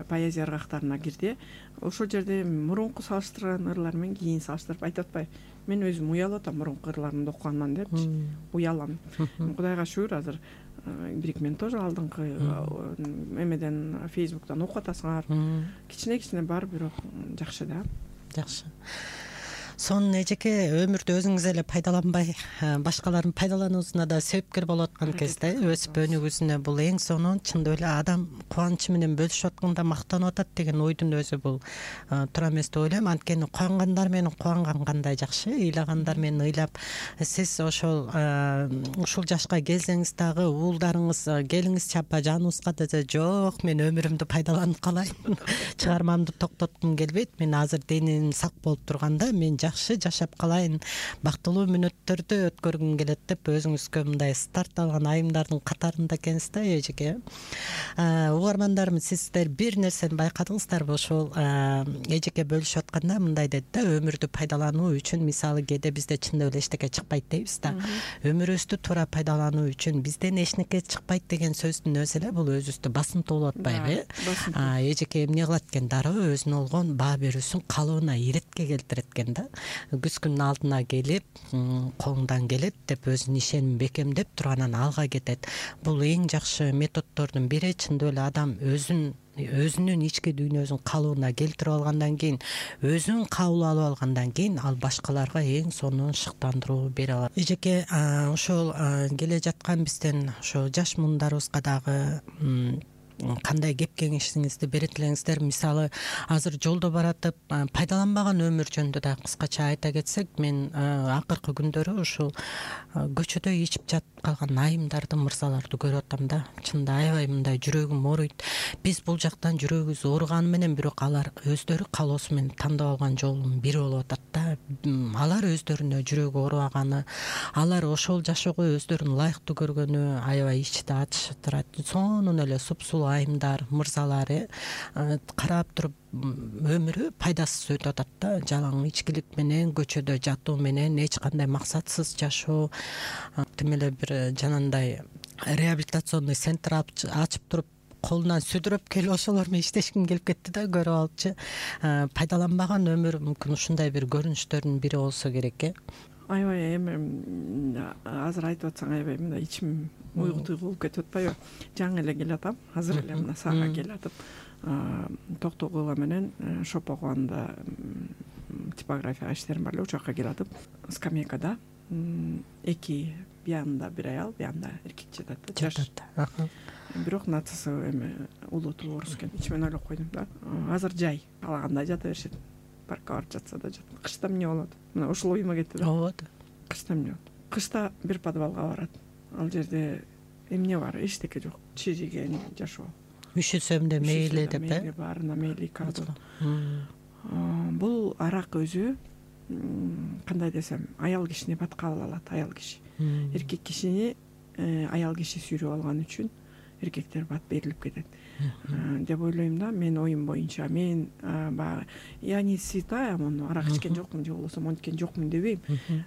Поэзия ыргактарына кирди. Ошол жерде мурунку салыштырган ырлар менен кийин салыштырып айтып атпайбы? Мен өзүм уялып атам мурунку ырларымды окугандан депчи. Уялам. Кудайга шүгүр, азыр бирикмен тоже алдыңкы эмеден Facebooktан окуп атасыңар. Кичине бар, бирок жакшы да. Жакшы. Сонун эжеке, өмүрдү өзүңүз эле пайдаланбай, башкалардын пайдалануусуна да себепкер болуп аткан кезде өсүп өнүгүүсүнө бул эң сонун, чындап эле адам кубанычы менен бөлүшүп атканда мактанып атат деген ойдун өзү бул туура эмес деп ойлойм. Анткени кубангандар менен кубанган кандай жакшы, ыйлагандар менен ыйлап, сиз ушул жашка келсеңиз дагы уулдарыңыз келиңизчи апа жаныбызга десе, жок, мен өмүрүмдү пайдаланып калайын, чыгармамды токтоткум келбейт, мен азыр деним сак болуп турганда мен жакшы жашап калайын, бактылуу мүнөттөрдү өткөргүм келет деп өзүңүзгө мындай старт алган айымдардын катарында экенсиз да эжеке. Угармандарым, сиздер бир нерсени байкадыңыздарбы? Ошол эжеке бөлүшүп атканда мындай деди да, өмүрдү пайдалануу үчүн, мисалы кээде бизде чындап эле эчтеке чыкпайт дейбиз да. Өмүрүбүздү туура пайдалануу үчүн бизден эчнеке чыкпайт деген сөздүн өзү эле бул өзүбүздү басымтуулап атпайбы? Эжеке эмне кылат экен? Дароо өзүнө болгон баа берүүсүн калыбына иретке келтирет экен да. Күзгүнүн алдына келип, колуңдан келет деп өзүнүн ишенимин бекемдеп туруп анан алга кетет. Бул эң жакшы методдордун бири. Чындап эле адам өзүнүн ички дүйнөсүн калыбына келтирип алгандан кийин, өзүн кабыл алып алгандан кийин ал башкаларга эң сонун шыктандыруу бере алат. Эжеке, ошол келе жаткан бизден ошо жаш муундарыбызга дагы кандай кеп кеңешиңизди берет элеңиздер? Мисалы, азыр жолдо баратып пайдаланбаган өмүр жөнүндө да кыскача айта кетсек, мен акыркы күндөрү ушул көчөдө ичип жатып калган айымдарды, мырзаларды көрүп атам да. Чынында аябай мындай жүрөгүм ооруйт. Биз бул жактан жүрөгүбүз ооруганы менен, бирок алар өздөрү каалоосу менен тандап алган жолдун бири болуп атат да. Алар өздөрүнө жүрөгү оорубаганы, алар ошол жашоого өздөрүн ылайыктуу көргөнү аябай ичти ачышып турат. Сонун эле супсулуу айымдар, мырзалар карап туруп өмүрү пайдасыз өтүп атат да. Жалаң ичкилик менен, көчөдө жатуу менен, эч кандай максатсыз жашоо. Тим эле бир жанагындай реабилитационный центр ачып туруп колунан сүдүрөп келип ошолор менен иштешким келип кетти да, көрүп алчы. Пайдаланбаган өмүр мүмкүн ушундай бир көрүнүштөрдүн бири болсо керек. Аябай эми азыр айтып атсаң, аябай мындай ичим уйгу-туйгу болуп кетип атпайбы? Жаңы эле келатам, азыр эле мына сага келатып, Токтогула менен Шопогонда типография иштерим бар эле, ошол жака келатып, скамейкада эки, биянда бир аял, биянда эркек жатат да, жаш. Бирок нацысы эми улуту орус экен. Ичимен ойлоп койдум да. Азыр жай, каалагандай жата беришет. Паркка барып жатса да жатат. Кышта эмне болот? Мына ушул оюма кетти да. Ооба. Кышта эмне болот? Кышта бир подвалга барат. Ал жерде эмне бар? Эчтеке жок. Чижиген жашоо. Üşüsөм да мейли деп, мейли баарына мейли кардон. Бул арак өзү кандай десем, аял кишини батка ала алат, аял киши. Эркек кишини аял киши сүйрөп алган үчүн эркектер бат берилип кетет деп ойлойм да. Мен оюм боюнча, мен баягы я не святая, муну арак ичкен жокмун же болбосо монткен жокмун дебейм.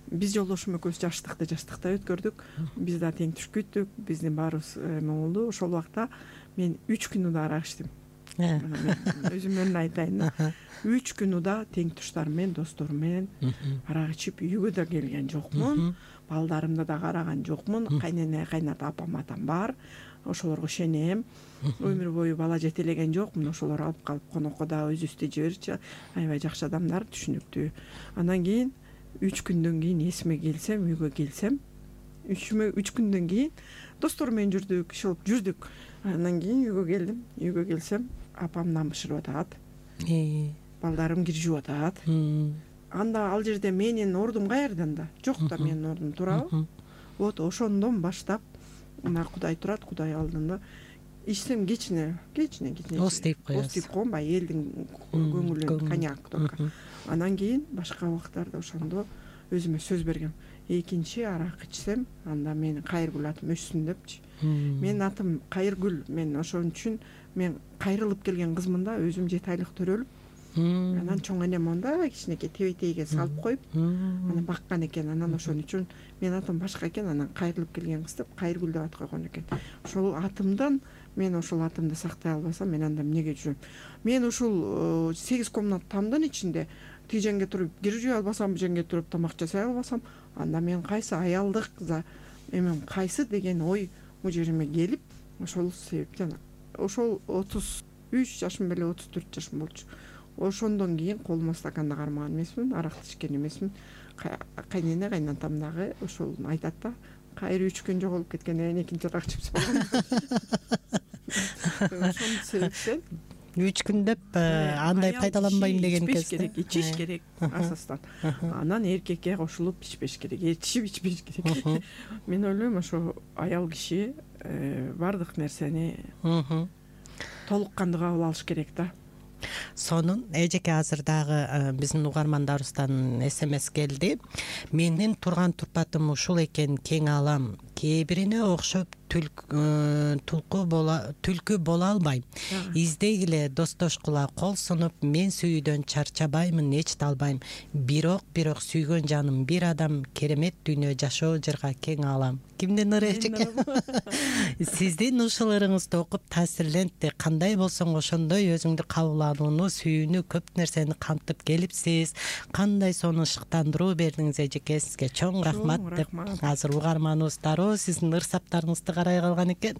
Биз жолдошум экөөбүз жаштыкта өткөрдүк. Биз да тең түшкүттүк, биздин баарыбыз эме болду. Ошол убакта мен 3 күн уда арак ичтим. Өзүмдөн айтайын. 3 күн уда тең туштарым менен, досторум менен арак ичип үйгө да келген жокмун. Балдарымды да караган жокмун. Кайнене, кайната, апам, атам бар. Ошолорго ишенем. Өмүр бою бала жетелеген жокмун. Ошолор алып калып конокко да өзүбүздү жиберчи. Аябай жакшы адамдар, түшүнүктүү. Андан кийин 3 күндөн кийин эсиме келсем, үйгө келсем, 3 күндөн кийин досторум менен жүрдүк, жүрдүк. Андан кийин үйгө келдим. Үйгө келсем, апамдан бышырып атат. Балдарым кир жууп атат. Анда ал жерде менин ордум каердан да? Жок да менин ордум, туурабы? Вот ошондон баштап мына Кудай турат, Кудай алдында ичсем кечине ос дейп коесуз. Ос дейп коем, баягы элдин көңүлүн, коньяк только. Андан кийин башка убактарда ошондо өзүмө сөз бергем. Экинчи арак ичсем, анда менин Кайыргүл атым өссүн депчи. Менин атым Кайыргүл. Мен ошон үчүн мен кайрылып келген кызмын да, өзүм 7 айлык төрөлүп. Анан чоң энем монда кичинекей тебетейге салып коюп, анан баккан экен. Анан ошон үчүн менин атым башка экен. Анан кайрылып келген кыз деп Кайыргүл деп ат койгон экен. Ошол атымдан мен ошол атымды сактай албасам, мен анда эмнеге жүрөм? Мен ушул 8 комнат тамдын ичинде тиги жеңге туруп кир жууй албасам, бу жеңге туруп тамак жасай албасам, анда мен кайсы аялдык эмем кайсы деген ой бул жериме келип, ошол себептен ошол 33 жашым беле 34 жашым болчу. Ошондон кийин колума стаканды кармаган эмесмин, аракты ичкен эмесмин. Кайнене, кайнатам дагы ошол айтат да, Кайры 3 күн жоголуп кеткенден кийин экинчи арак ичип болгон. Ошол себептен 3 күн деп андай пайдаланбайм деген кезде ичиш керек асастан. Анан эркекке кошулуп ичпеш керек, ичпеш керек. Мен ойлойм, ошо аял киши бардык нерсени толук кандуу кабыл алыш керек да. сонун эжеке азыр дагы биздин угармандарыбыздан СМС келди. Менин турган турпатым ушул экен, кең алам. Кээ бирине окшоп түлкү боло албайм. Издегиле, достошкула, кол сунуп, мен сүйүүдөн чарчабаймын, эч талбайм. Бирок сүйгөн жаным бир адам, керемет дүйнө жашоо жырга кең алам. Кимдин ыры эжеке? Сиздин ушул ырыңызды окуп таасирлентти. Кандай болсоң ошондой өзүңдү кабыл алууну, сүйүүнү, көп нерсени камтып келипсиз. Кандай сонун шыктандыруу бердиңиз эжеке, сизге чоң рахмат деп азыр угарманыбыз дароо сиздин ырсаптарыңызды карай калган экен.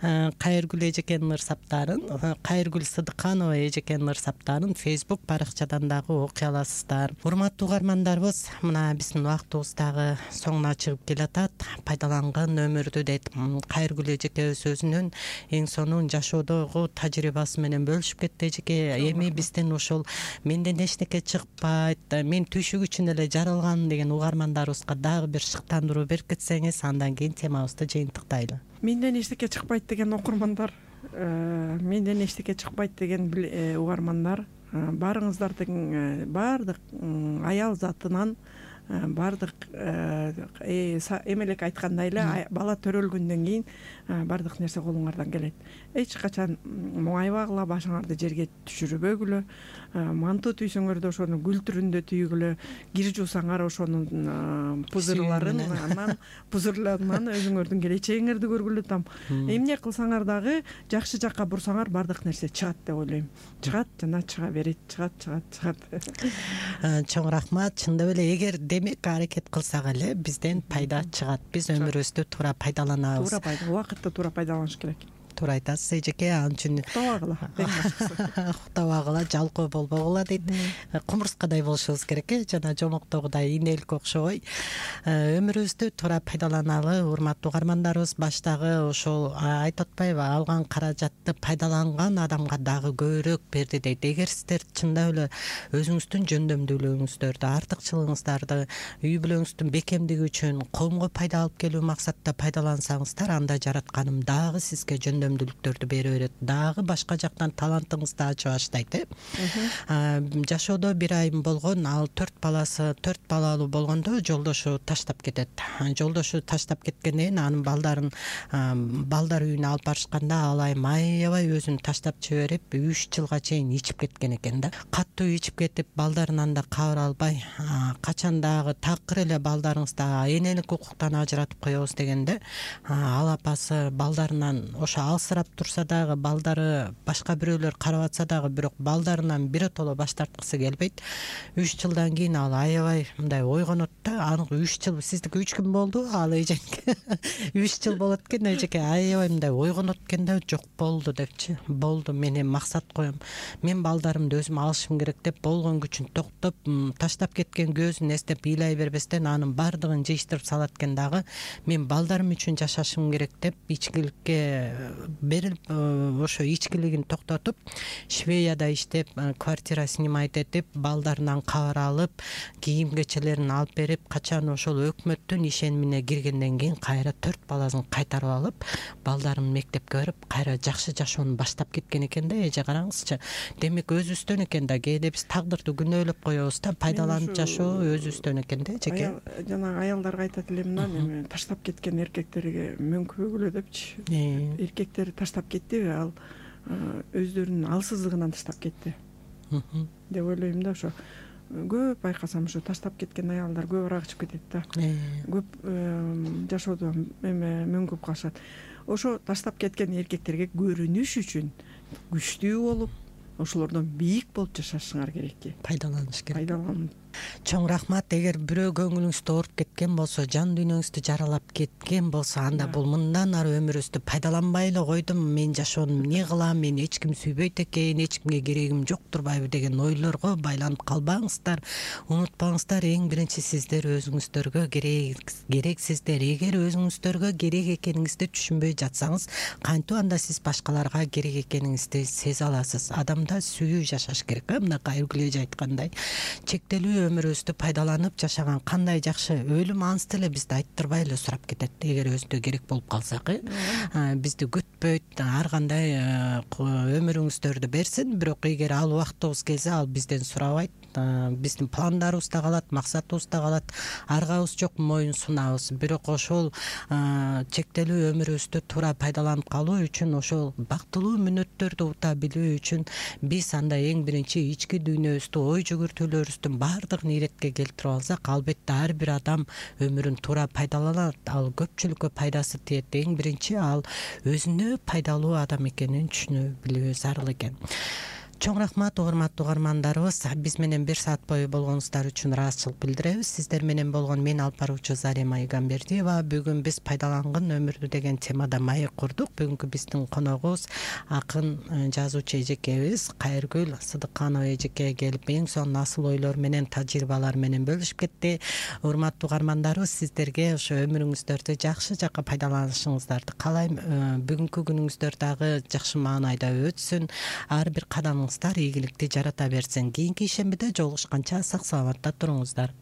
Кайыргүл эжекенин ырсаптарын, Кайыргүл Сыдыканова эжекенин ырсаптарын Facebook баракчадан дагы окуй аласыздар. Урматтуу угармандарыбыз, мына биздин убактыбыз дагы соңуна чыгып келатат. Пайдаланган өмүрдү дейт. Кайыргүл эжекебиз өзүнүн эң сонун жашоодогу тажрыйбасы менен бөлүшүп кетти эжеке. Эми биздин ушул менден эчтеке чыкпайт, мен түшүк үчүн эле жаралган деген угармандарыбызга дагы бир шыктандыруу берип кетсеңиз, андан кийин темабызды жыйынтыктайлы. Менден эчтеке чыкпайт деген окурмандар, менден эчтеке чыкпайт деген угармандар, баарыңыздардын баардык аял затынан, баардык эмелек айткандай эле бала төрөлгөндөн кийин баардык нерсе колуңардан келет. Эч качан моңайбагыла, башыңарды жерге түшүрбөгүлө, манту түйсөңөр да ошону гүл түрүндө түйгүлө, кир жуусаңар ошонун пузырларынан өзүңөрдүн келечегиңерди көргүлө там. Эмне кылсаңар дагы жакшы жакка бурсаңар баардык нерсе чыгат деп ойлойм. Чыгат жана чыга берет, чыгат. Чоң рахмат. Чындап эле эгер демек аракет кылсак эле бизден пайда чыгат. Биз өмүрүбүздү туура пайдаланабыз. Убакытты туура пайдаланыш керек. Туура айтасыз эжеке, ал үчүн уктабагыла, жалкоо болбогула дейт. Кумурскадай болушубуз керек, жана жомоктогудай инелик окшобой. Өмүрүбүздү туура пайдаланалы, урматтуу угармандарыбыз. Баштагы ошол айтып атпайбы, алган каражатты пайдаланган адамга дагы көбүрөөк берди дейт. Эгер сиздер чындап эле өзүңүздүн жөндөмдүүлүгүңүздөрдү, артыкчылыгыңыздарды үй бүлөңүздүн бекемдиги үчүн, коомго пайда алып келүү максатта пайдалансаңыздар, анда жаратканым дагы сизге жөндөмдүүлүктөрдү бере берет. Дагы башка жактан талантыңызды ачып баштайт. Жашоодо бир айым болгон, ал 4 балалуу болгондо жолдошу таштап кетет. Жолдошу таштап кеткенден кийин анын балдар үйүнө алып барышканда ал айым аябай өзүн таштап жиберип, 3 жылга чейин ичип кеткен экен да. Катуу ичип кетип, балдарынан да кабар албай, качан дагы такыр эле балдарыңызды энелик укуктан ажыратып коебуз дегенде, ал апасы балдарынан ошо алсырап турса дагы, балдары башка бирөөлөр карап атса дагы, бирок балдарынан биротоло баш тарткысы келбейт. 3 жылдан кийин ал аябай мындай ойгонот да, анык 3 жыл, сиздики 3 күн болду, ал эжеке 3 жыл болот экен, эжеке аябай мындай ойгонот экен да, жок болду депчи. Болду, мен эми максат коем. Мен балдарымды өзүм алышым керек деп болгон күчүн токтоп, таштап кеткен көзүн эстеп ыйлай бербестен анын баардыгын жыйыштырып салат экен дагы. Мен балдарым үчүн жашашым керек деп ичкиликке берилип, ошо ичкилигин токтотуп, Швеяда иштеп, квартира снимать этип, балдарынан кабар алып, кийим кечелерин алып берип, качан ошол өкмөттүн ишенимине киргенден кийин кайра 4 баласын кайтарып алып, балдарын мектепке берип, кайра жакшы жашоону баштап кеткен экен да. Эже караңызчы. Демек өзүбүздөн экен да, кээде биз тагдырды күнөөлөп коебуз да, пайдаланып жашоо өзүбүздөн экен да, эжеке. Жана аялдарга айтат элем да, эми таштап кеткен эркектерге мөңкүбөгүлө депчи. Эркектер таштап кеттиби, ал өздөрүнүн алсыздыгынан таштап кетти деп ойлойм да. Ошо көп байкасам, ошо таштап кеткен аялдар көбүрөөк ачып кетет да. Көп жашоодо мөңкүп калышат. Ошо таштап кеткен эркектерге көрүнүш үчүн күчтүү болуп, ошолордон бийик болуп жашашыңар керек. Пайдаланыш керек. Чоң рахмат. Эгер бирөө көңүлүңүздү ооруп кеткен болсо, жан дүйнөңүздү жаралап кеткен болсо, анда бул мындан ары өмүрүбүздү пайдаланбай эле койдум, мен жашоону эмне кылам, мени эч ким сүйбөйт экен, эч кимге керегим жок турбайбы деген ойлорго байланып калбаңыздар. Унутпаңыздар, эң биринчи сиздер өзүңүздөргө керексиздер. Эгер өзүңүздөргө керек экениңизди түшүнбөй жатсаңыз, кантип анда сиз башкаларга керек экениңизди сезе аласыз? Адамда сүйүү жашаш керек. Мына Кайыргүл эже айткандай, чектелүү өмүрүбүздү пайдаланып жашаган кандай жакшы, өлүм ансы эле бизди айттырбай эле сурап кетет эгер өзүнө керек болуп калсак. Бизди күтпөйт, ар кандай өмүрүңүздөрдү берсин, бирок эгер ал убактыбыз келсе ал бизден сурабайт, биздин пландарыбызда калат, максатыбызда калат, аргабыз жок моюн сунабыз. Бирок ошол чектелүү өмүрүбүздү туура пайдаланып калуу үчүн, ошол бактылуу мүнөттөрдү ута билүү үчүн биз анда эң биринчи ички дүйнөбүздү, ой жүгүртүүлөрүбүздүн баардыгын иретке келтирип алсак, албетте ар бир адам өмүрүн туура пайдаланат, ал көпчүлүккө пайдасы тиет. Эң биринчи ал өзүнө пайдалуу адам экенин түшүнүп билүү зарыл экен. Чоң рахмат урматтуу угармандарыбыз, биз менен 1 саат бою болгонуңуздар үчүн ыраазычылык билдиребиз. Сиздер менен болгон мен алып баруучу Зарема Игамбердиева. Бүгүн биз пайдаланган өмүрдү деген темада маек курдук. Бүгүнкү биздин коногубуз акын жазуучу эжекебиз Кайыргүл Сыдыкканова эжеке келип, эң сонун асыл ойлор менен, тажрыйбалар менен бөлүшүп кетти. Урматтуу угармандарыбыз, сиздерге ошо өмүрүңүздөрдү жакшы жакка пайдаланышыңыздарды каалайм. Бүгүнкү күнүңүздөр дагы жакшы маанайда өтсүн. Ар бир кадамыңыздар ийгиликти жарата берсин. Кийинки ишембиде жолугушканча сак саламатта туруңуздар.